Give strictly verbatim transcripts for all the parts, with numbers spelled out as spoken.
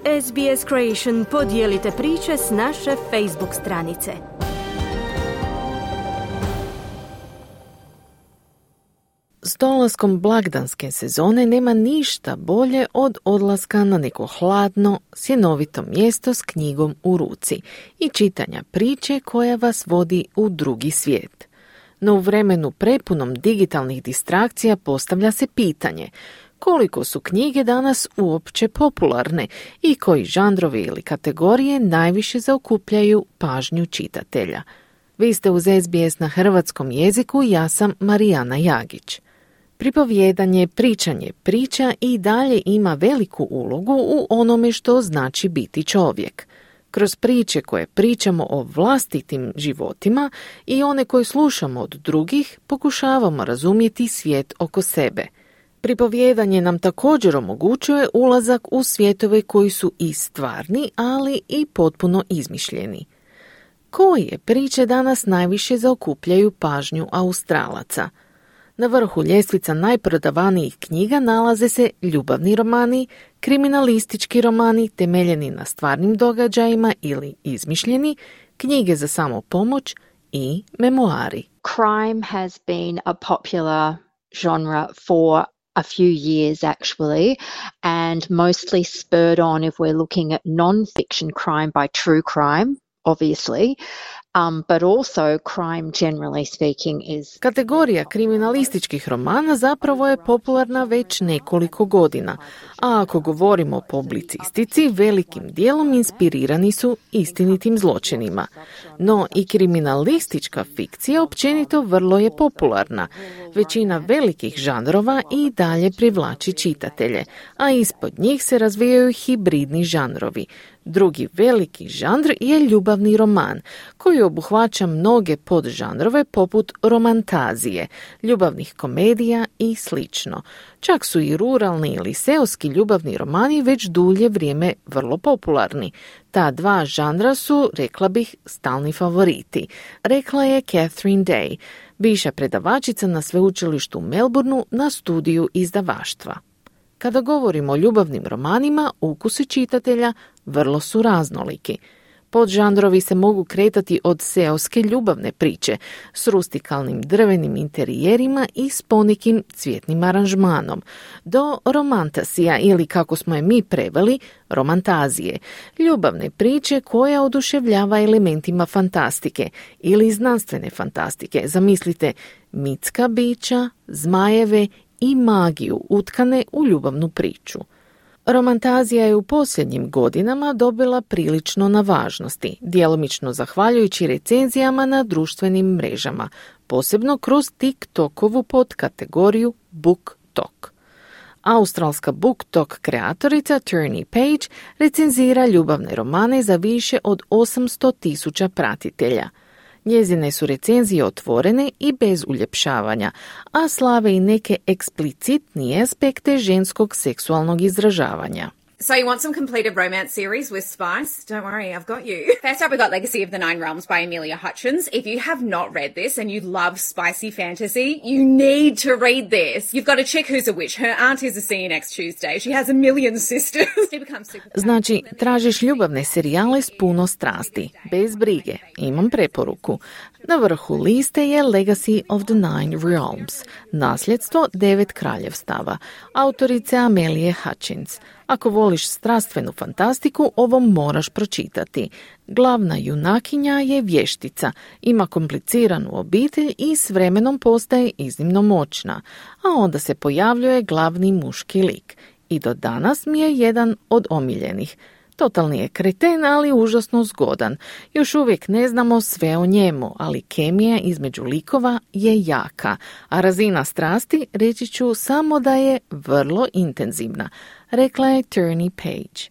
S B S Creation podijelite priče s naše Facebook stranice. S dolaskom blagdanske sezone nema ništa bolje od odlaska na neko hladno, sjenovito mjesto s knjigom u ruci i čitanja priče koja vas vodi u drugi svijet. No u vremenu prepunom digitalnih distrakcija postavlja se pitanje koliko su knjige danas uopće popularne i koji žanrovi ili kategorije najviše zaokupljaju pažnju čitatelja. Vi ste uz S B S na hrvatskom jeziku, ja sam Marijana Jagić. Pripovjedanje, pričanje priča i dalje ima veliku ulogu u onome što znači biti čovjek. Kroz priče koje pričamo o vlastitim životima i one koje slušamo od drugih, pokušavamo razumjeti svijet oko sebe. Pripovjedanje nam također omogućuje ulazak u svjetove koji su i stvarni, ali i potpuno izmišljeni. Koje priče danas najviše zaokupljaju pažnju Australaca? Na vrhu ljestvica najprodavanijih knjiga nalaze se ljubavni romani, kriminalistički romani temeljeni na stvarnim događajima ili izmišljeni, knjige za samopomoć i memoari. Crime has been a popular genre for a few years actually, and mostly spurred on if we're looking at non-fiction crime by true crime, obviously. Um, but also crime generally speaking is... Kategorija kriminalističkih romana zapravo je popularna već nekoliko godina, a ako govorimo o publicistici, velikim dijelom inspirirani su istinitim zločinima. No i kriminalistička fikcija općenito vrlo je popularna. Većina velikih žanrova i dalje privlači čitatelje, a ispod njih se razvijaju hibridni žanrovi. Drugi veliki žanr je ljubavni roman, koji obuhvaća mnoge podžanrove poput romantazije, ljubavnih komedija i slično. Čak su i ruralni ili seoski ljubavni romani već dulje vrijeme vrlo popularni. Ta dva žanra su, rekla bih, stalni favoriti, rekla je Catherine Day, bivša predavačica na sveučilištu u Melbourneu na studiju izdavaštva. Kada govorimo o ljubavnim romanima, ukusi čitatelja vrlo su raznoliki. Podžanrovi se mogu kretati od seoske ljubavne priče s rustikalnim drvenim interijerima i s ponekim cvjetnim aranžmanom, do romantasija ili, kako smo je mi preveli, romantazije, ljubavne priče koja oduševljava elementima fantastike ili znanstvene fantastike. Zamislite mitska bića, zmajeve i magiju utkane u ljubavnu priču. Romantazija je u posljednjim godinama dobila prilično na važnosti, djelomično zahvaljujući recenzijama na društvenim mrežama, posebno kroz TikTokovu podkategoriju BookTok. Australska BookTok kreatorica Tierney Page recenzira ljubavne romane za više od osamsto tisuća pratitelja. Njezine su recenzije otvorene i bez uljepšavanja, a slave i neke eksplicitnije aspekte ženskog seksualnog izražavanja. So you want some completed romance series with spice? Don't worry, I've got you. First up, we got Legacy of the Nine Realms by Amelia Hutchins. If you have not read this and you love spicy fantasy, you need to read this. You've got a chick who's a witch. Her aunt is a C next Tuesday. She has a million sisters. She becomes super... Znači, tražiš ljubavne serijale s puno strasti. Bez brige, imam preporuku. Na vrhu liste je Legacy of the Nine Realms, nasljedstvo devet kraljevstava, autorice Amelie Hutchins. Ako voliš strastvenu fantastiku, ovo moraš pročitati. Glavna junakinja je vještica, ima kompliciranu obitelj i s vremenom postaje iznimno moćna, a onda se pojavljuje glavni muški lik. I do danas mi je jedan od omiljenih. Totalni je kreten, ali užasno zgodan. Još uvijek ne znamo sve o njemu, ali kemija između likova je jaka, a razina strasti reći ću samo da je vrlo intenzivna, rekla je Tierney Page.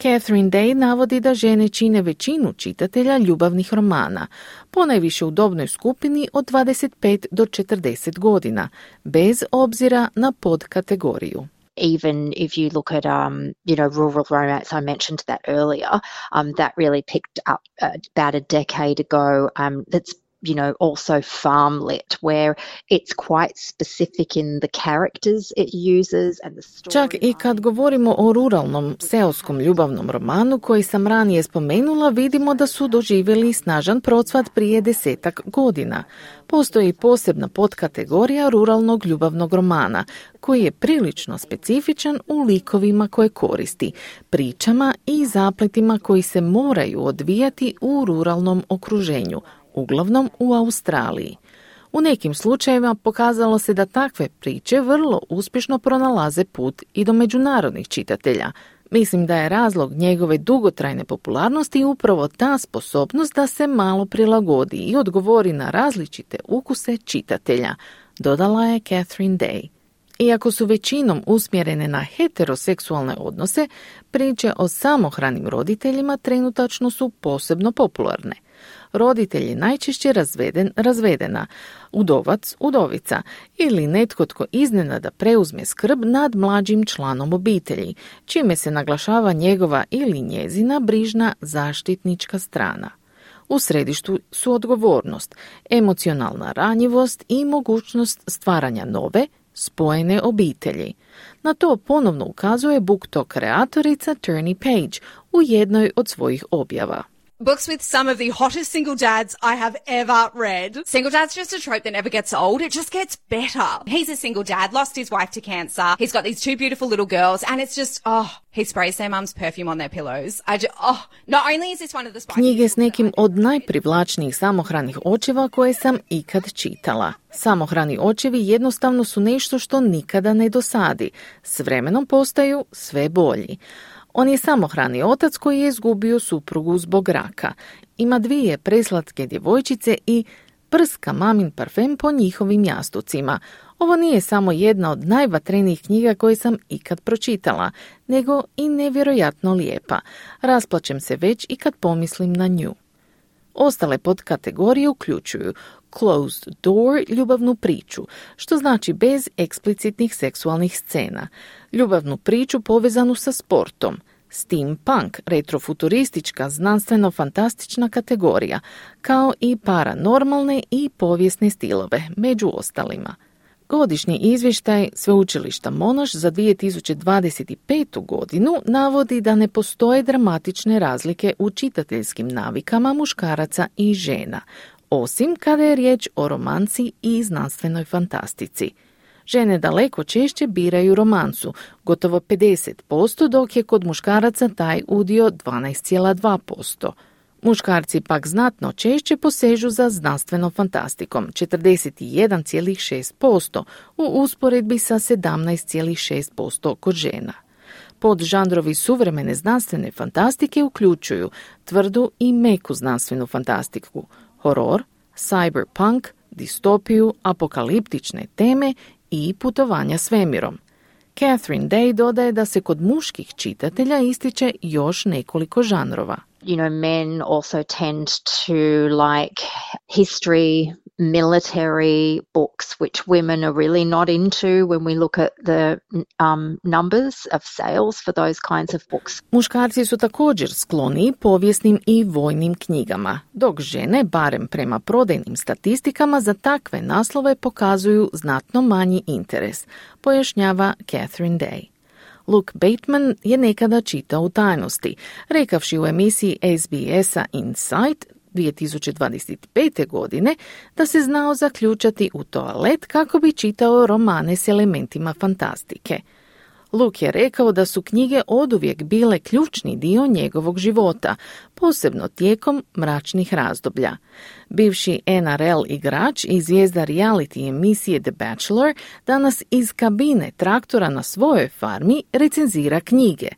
Catherine Day navodi da žene čine većinu čitatelja ljubavnih romana, ponajviše u dobnoj skupini od dvadeset pet do četrdeset godina, bez obzira na podkategoriju. Even if you look at, um, you know, rural romance, I mentioned that earlier, um, that really picked up uh, about a decade ago. Um, that's you know, also farm lit, where it's quite specific in the characters it uses and the story. Čak i kad govorimo o ruralnom seoskom ljubavnom romanu koji sam ranije spomenula, vidimo da su doživjeli snažan procvat prije desetak godina. Postoji posebna podkategorija ruralnog ljubavnog romana, koji je prilično specifičan u likovima koje koristi, pričama i zapletima koji se moraju odvijati u ruralnom okruženju, uglavnom u Australiji. U nekim slučajevima pokazalo se da takve priče vrlo uspješno pronalaze put i do međunarodnih čitatelja. Mislim da je razlog njegove dugotrajne popularnosti upravo ta sposobnost da se malo prilagodi i odgovori na različite ukuse čitatelja, dodala je Catherine Day. Iako su većinom usmjerene na heteroseksualne odnose, priče o samohranim roditeljima trenutačno su posebno popularne. Roditelj je najčešće razveden, razvedena, udovac, udovica ili netko tko iznenada preuzme skrb nad mlađim članom obitelji, čime se naglašava njegova ili njezina brižna zaštitnička strana. U središtu su odgovornost, emocionalna ranjivost i mogućnost stvaranja nove, spojene obitelji. Na to ponovno ukazuje BookTok kreatorica Turney Page u jednoj od svojih objava. Books with some of the hottest single dads I have ever read. Single dad's just a trope that never gets old. It just gets better. He's a single dad, lost his wife to cancer. He's got these two beautiful little girls, and it's just, oh, he sprays their mum's perfume on their pillows. I just, oh, not only is this one of the spicy... Knjige s nekim od najprivlačnijih samohranih očeva koje sam ikad čitala. Samohrani očevi jednostavno su nešto što nikada ne dosadi. S vremenom postaju sve bolji. On je samohrani otac koji je izgubio suprugu zbog raka. Ima dvije preslatke djevojčice i prska mamin parfem po njihovim jastucima. Ovo nije samo jedna od najvatrenijih knjiga koje sam ikad pročitala, nego i nevjerojatno lijepa. Rasplačem se već i kad pomislim na nju. Ostale podkategorije uključuju closed door, ljubavnu priču, što znači bez eksplicitnih seksualnih scena, ljubavnu priču povezanu sa sportom, steampunk, retrofuturistička, znanstveno-fantastična kategorija, kao i paranormalne i povijesne stilove, među ostalima. Godišnji izvještaj Sveučilišta Monash za dvije tisuće dvadeset petu godinu navodi da ne postoje dramatične razlike u čitateljskim navikama muškaraca i žena, osim kada je riječ o romanci i znanstvenoj fantastici. Žene daleko češće biraju romancu, gotovo pedeset posto, dok je kod muškaraca taj udio dvanaest zarez dva posto. Muškarci pak znatno češće posežu za znanstvenom fantastikom, četrdeset jedan zarez šest posto, u usporedbi sa sedamnaest zarez šest posto kod žena. Podžanrovi suvremene znanstvene fantastike uključuju tvrdu i meku znanstvenu fantastiku, horor, cyberpunk, distopiju, apokaliptične teme i putovanja svemirom. Catherine Day dodaje da se kod muških čitatelja ističe još nekoliko žanrova. You know, men also tend to like history, military books, which women are really not into when we look at the um, numbers of sales for those kinds of books. Muškarci su također skloni povijesnim i vojnim knjigama, dok žene, barem prema prodajnim statistikama, za takve naslove pokazuju znatno manji interes, pojašnjava Catherine Day. Luke Bateman je nekada čitao u tajnosti, rekavši u emisiji S B S-a Insight dvije tisuće dvadeset pete. godine da se znao zaključati u toalet kako bi čitao romane s elementima fantastike. Luke je rekao da su knjige oduvijek bile ključni dio njegovog života, posebno tijekom mračnih razdoblja. Bivši N R L igrač i zvijezda reality emisije The Bachelor danas iz kabine traktora na svojoj farmi recenzira knjige,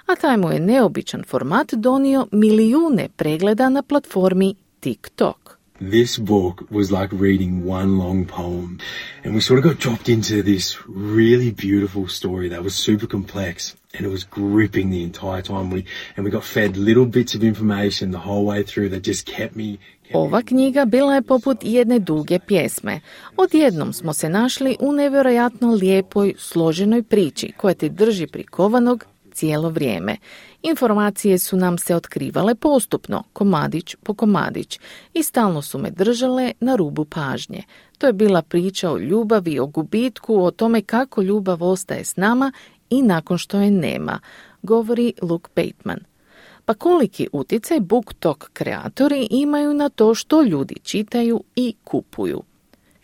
a taj mu je neobičan format donio milijune pregleda na platformi TikTok. This book was like reading one long poem, and we sort of got dropped into this really beautiful story that was super complex, and it was gripping the entire time. We and we got fed little bits of information the whole way through that just kept me. Ova knjiga bila je poput jedne duge pjesme. Odjednom smo se našli u nevjerojatno lijepoj, složenoj priči koja te drži prikovanog cijelo vrijeme. Informacije su nam se otkrivale postupno, komadić po komadić, i stalno su me držale na rubu pažnje. To je bila priča o ljubavi, o gubitku, o tome kako ljubav ostaje s nama i nakon što je nema, govori Luke Bateman. Pa koliki utjecaj BookTok kreatori imaju na to što ljudi čitaju i kupuju?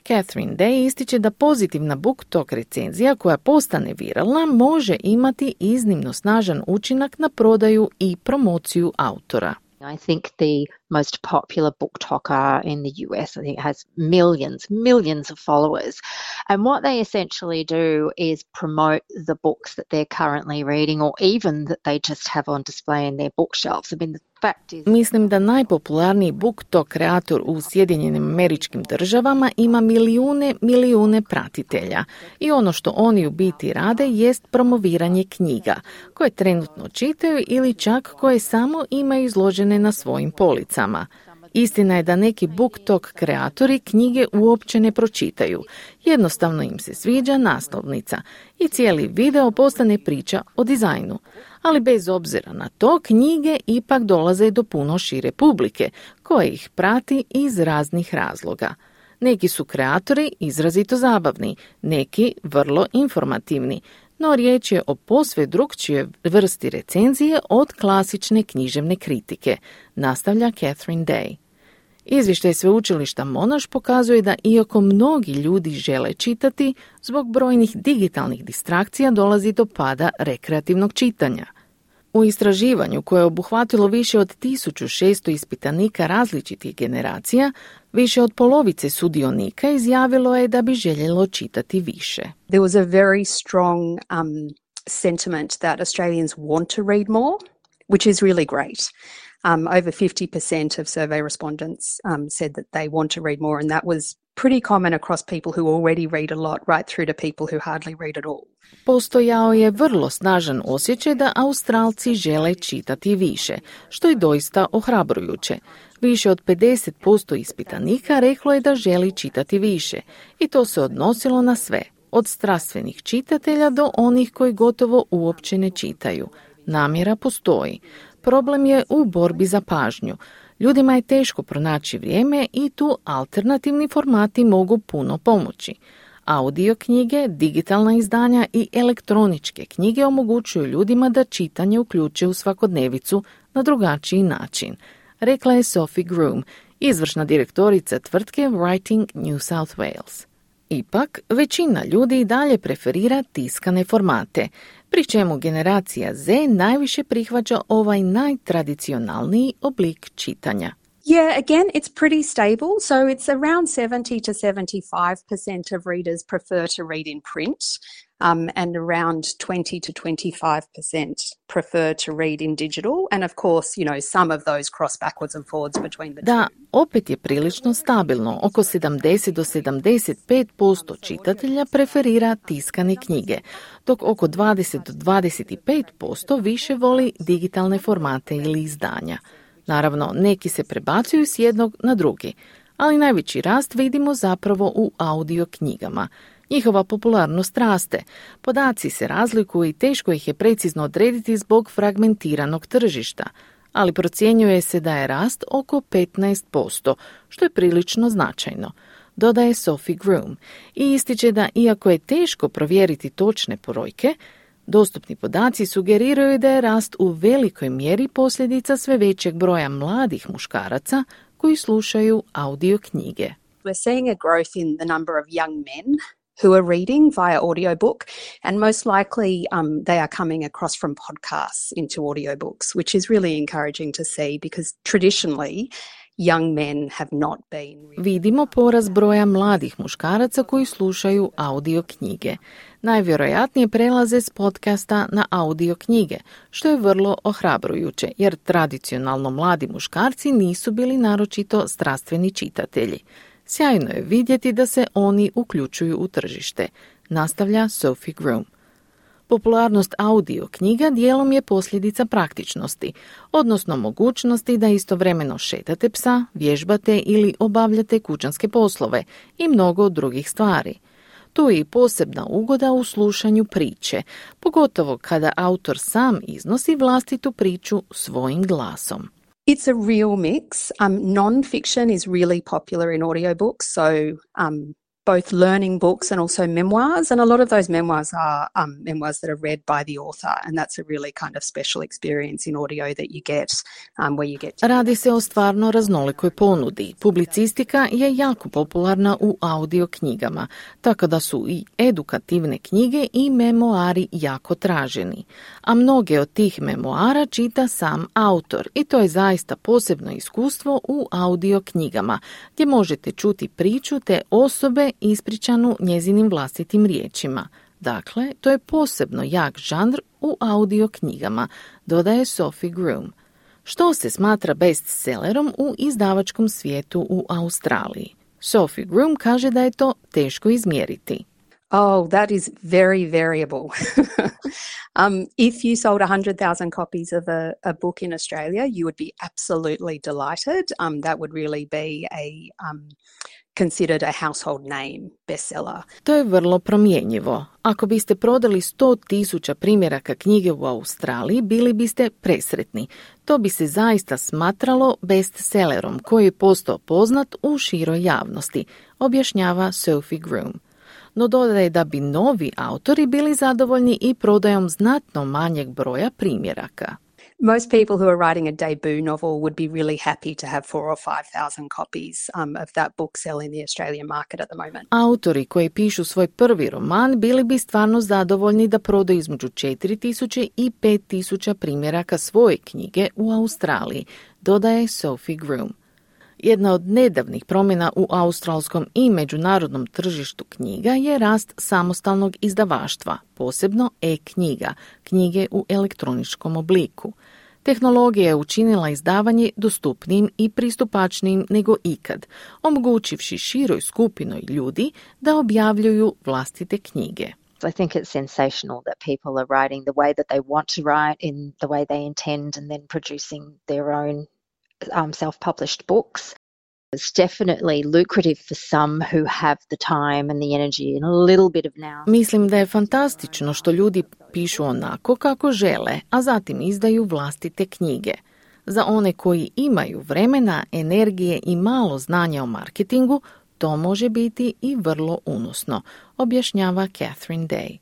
Catherine Day ističe da pozitivna BookTok recenzija koja postane viralna može imati iznimno snažan učinak na prodaju i promociju autora. I think the most popular BookToker in the U S, I think, has millions, millions of followers. And what they essentially do is promote the books that they're currently reading or even that they just have on display in their bookshelves. I mean, the fact is... Mislim da najpopularniji BookTok kreator u Sjedinjenim Američkim Državama ima milijune, milijune pratitelja. I ono što oni u biti rade jest promoviranje knjiga, koje trenutno čitaju ili čak koje samo imaju izložene na svojim policama. Istina je da neki BookTok kreatori knjige uopće ne pročitaju. Jednostavno im se sviđa naslovnica i cijeli video postane priča o dizajnu. Ali bez obzira na to, knjige ipak dolaze do puno šire publike, koja ih prati iz raznih razloga. Neki su kreatori izrazito zabavni, neki vrlo informativni, no riječ je o posve drukčijoj vrsti recenzije od klasične književne kritike, nastavlja Catherine Day. Izvještaj sveučilišta Monash pokazuje da iako mnogi ljudi žele čitati, zbog brojnih digitalnih distrakcija dolazi do pada rekreativnog čitanja. U istraživanju koje je obuhvatilo više od tisuću šesto ispitanika različitih generacija, više od polovice sudionika izjavilo je da bi željelo čitati više. There was a very strong um, sentiment that Australians want to read more, which is really great. Um, over fifty percent of survey respondents um, said that they want to read more, and that was pretty common across people who already read a lot, right through to people who hardly read at all. Postojao je vrlo snažan osjećaj da Australci žele čitati više, što je doista ohrabrujuće. Više od pedeset posto ispitanika reklo je da želi čitati više, i to se odnosilo na sve, od strastvenih čitatelja do onih koji gotovo uopće ne čitaju. Namjera postoji. Problem je u borbi za pažnju. Ljudima je teško pronaći vrijeme i tu alternativni formati mogu puno pomoći. Audio knjige, digitalna izdanja i elektroničke knjige omogućuju ljudima da čitanje uključe u svakodnevicu na drugačiji način, rekla je Sophie Groom, izvršna direktorica tvrtke Writing New South Wales. Ipak, većina ljudi i dalje preferira tiskane formate, pri čemu generacija Z najviše prihvaća ovaj najtradicionalniji oblik čitanja. Yeah, again, it's pretty stable. So it's around seventy to seventy-five percent of readers prefer to read in print, um, and around twenty to twenty-five percent prefer to read in digital. And of course, you know, some of those cross backwards and forwards between the da, two. opet je prilično stabilno. Oko sedamdeset do sedamdeset pet posto čitatelja preferira tiskane knjige, dok oko dvadeset do dvadeset pet posto više voli digitalne formate ili izdanja. Naravno, neki se prebacuju s jednog na drugi, ali najveći rast vidimo zapravo u audio knjigama. Njihova popularnost raste. Podaci se razlikuju i teško ih je precizno odrediti zbog fragmentiranog tržišta, ali procjenjuje se da je rast oko petnaest posto, što je prilično značajno, dodaje Sophie Groom, i ističe da iako je teško provjeriti točne brojke, dostupni podaci sugeriraju da je rast u velikoj mjeri posljedica sve većeg broja mladih muškaraca koji slušaju audio knjige. We're seeing a growth in the number of young men who are reading via audiobook, and most likely um, they are coming across from podcasts into audiobooks, which is really encouraging to see because traditionally young men have not been... Vidimo porast broja mladih muškaraca koji slušaju audio knjige. Najvjerojatnije prelaze s podcasta na audio knjige, što je vrlo ohrabrujuće, jer tradicionalno mladi muškarci nisu bili naročito strastveni čitatelji. Sjajno je vidjeti da se oni uključuju u tržište, nastavlja Sophie Groom. Popularnost audio knjiga dijelom je posljedica praktičnosti, odnosno mogućnosti da istovremeno šetate psa, vježbate ili obavljate kućanske poslove i mnogo drugih stvari. Tu je i posebna ugoda u slušanju priče, pogotovo kada autor sam iznosi vlastitu priču svojim glasom. It's a real mix. Um, non-fiction is really popular in audiobooks, so um, both learning books and also memoirs, and a lot of those memoirs are um, memoirs that are read by the author, and that's a really kind of special experience in audio that you get um, where you get to... Radi se o stvarno raznolikoj ponudi. Publicistika je jako popularna u audio knjigama, tako da su i edukativne knjige i memoari jako traženi. A mnoge od tih memoara čita sam autor i to je zaista posebno iskustvo u audio knjigama, gdje možete čuti priču te osobe ispričanu njezinim vlastitim riječima. Dakle, to je posebno jak žanr u audio knjigama, dodaje Sophie Groom. Što se smatra bestsellerom u izdavačkom svijetu u Australiji? Sophie Groom kaže da je to teško izmjeriti. Oh, that is very variable. um, if you sold one hundred thousand copies of a, a book in Australia, you would be absolutely delighted. Um, that would really be a um, considered a household name bestseller. To je vrlo promjenjivo. Ako biste prodali sto tisuća primjeraka knjige u Australiji, bili biste presretni. To bi se zaista smatralo bestsellerom koji je postao poznat u široj javnosti, objašnjava Sophie Groom. No dodaje da bi novi autori bili zadovoljni i prodajom znatno manjeg broja primjeraka. Most people who are writing a debut novel would be really happy to have four or five thousand copies um, of that book sell in the Australian market at the moment. Autori koji pišu svoj prvi roman bili bi stvarno zadovoljni da prodaju između četiri tisuće i pet tisuća primjeraka svoje knjige u Australiji, dodaje Sophie Groom. Jedna od nedavnih promjena u australskom i međunarodnom tržištu knjiga je rast samostalnog izdavaštva, posebno e-knjiga, knjige u elektroničkom obliku. Tehnologija je učinila izdavanje dostupnijim i pristupačnijim nego ikad, omogućivši široj skupinoj ljudi da objavljuju vlastite knjige. I think it's sensational that people are writing the way that they want to write, in the way they intend, and then producing their own Um, self-published books. It's definitely lucrative for some who have the time and the energy and a little bit of now. Mislim da je fantastično što ljudi pišu onako kako žele, a zatim izdaju vlastite knjige. Za one koji imaju vremena, energije i malo znanja o marketingu, to može biti i vrlo unosno, objašnjava Catherine Day.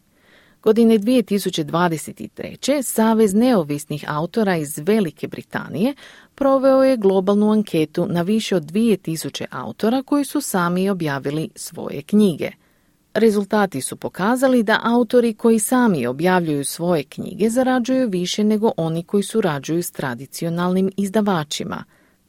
Godine dvije tisuće dvadeset treće. Savez neovisnih autora iz Velike Britanije proveo je globalnu anketu na više od dvije tisuće autora koji su sami objavili svoje knjige. Rezultati su pokazali da autori koji sami objavljuju svoje knjige zarađuju više nego oni koji surađuju s tradicionalnim izdavačima.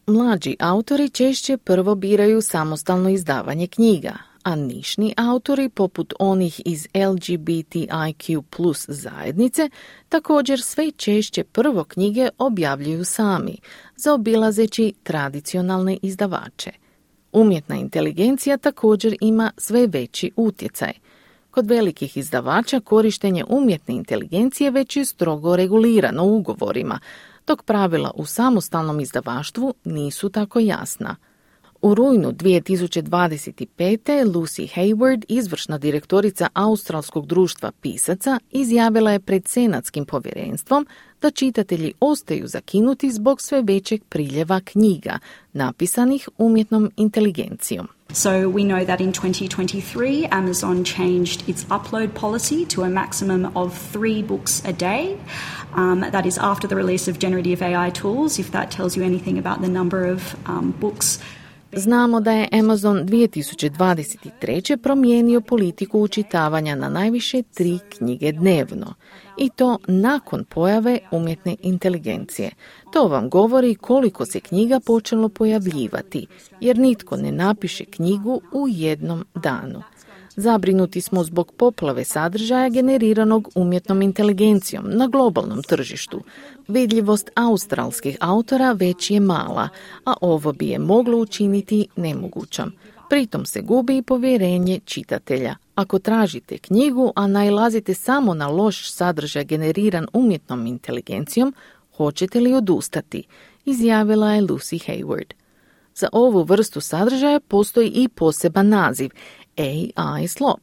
Mlađi autori češće prvo biraju samostalno izdavanje knjiga, a nišni autori, poput onih iz L G B T I Q plus zajednice, također sve češće prvo knjige objavljuju sami, zaobilazeći tradicionalne izdavače. Umjetna inteligencija također ima sve veći utjecaj. Kod velikih izdavača korištenje umjetne inteligencije već je strogo regulirano ugovorima, dok pravila u samostalnom izdavaštvu nisu tako jasna. U rujnu dvije tisuće dvadeset pete. Lucy Hayward, izvršna direktorica Australskog društva pisaca, izjavila je pred senatskim povjerenstvom da čitatelji ostaju zakinuti zbog sve većeg priljeva knjiga, napisanih umjetnom inteligencijom. So we know that in twenty twenty-three, Amazon changed its upload policy to a maximum of three books a day. Um, that is after the release of generative A I tools, if that tells you anything about the number of um, books. Znamo da je Amazon dvije tisuće dvadeset treće. promijenio politiku učitavanja na najviše tri knjige dnevno. I to nakon pojave umjetne inteligencije. To vam govori koliko se knjiga počelo pojavljivati, jer nitko ne napiše knjigu u jednom danu. Zabrinuti smo zbog poplave sadržaja generiranog umjetnom inteligencijom na globalnom tržištu. Vidljivost australskih autora već je mala, a ovo bi je moglo učiniti nemogućom. Pritom se gubi i povjerenje čitatelja. Ako tražite knjigu, a nailazite samo na loš sadržaj generiran umjetnom inteligencijom, hoćete li odustati? Izjavila je Lucy Hayward. Za ovu vrstu sadržaja postoji i poseban naziv, A I slop.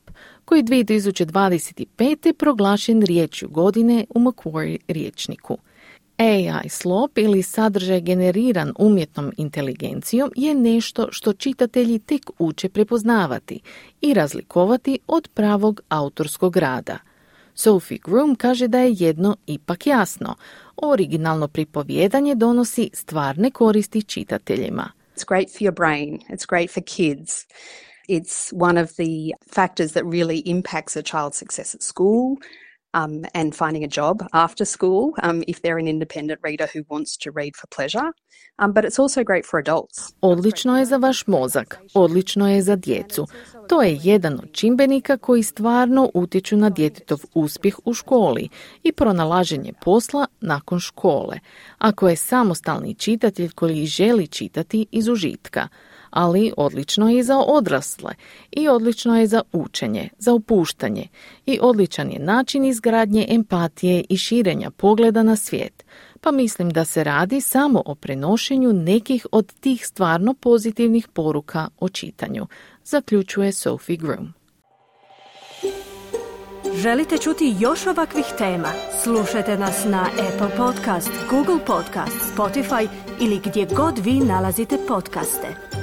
koji dvije tisuće dvadeset pete proglašen riječju godine u Macquarie rječniku. A I slop ili sadržaj generiran umjetnom inteligencijom je nešto što čitatelji tek uče prepoznavati i razlikovati od pravog autorskog rada. Sophie Groom kaže da je jedno ipak jasno. Originalno pripovjedanje donosi stvarne koristi čitateljima. It's great for your brain. It's great for kids. It's one of the factors that really impacts a child's success at school. Um, and finding a job after school um, if they're an independent reader who wants to read for pleasure. Um, but it's also great for adults. Odlično je za vaš mozak, odlično je za djecu. To je jedan od čimbenika koji stvarno utječu na djetetov uspjeh u školi i pronalaženje posla nakon škole, ako je samostalni čitatelj koji želi čitati iz užitka. Ali odlično je i za odrasle i odlično je za učenje, za opuštanje i odličan je način izgradnje empatije i širenja pogleda na svijet. Pa mislim da se radi samo o prenošenju nekih od tih stvarno pozitivnih poruka o čitanju, zaključuje Sophie Groom. Želite čuti još ovakvih tema? Slušajte nas na Apple Podcast, Google Podcast, Spotify ili gdje god vi nalazite podcaste.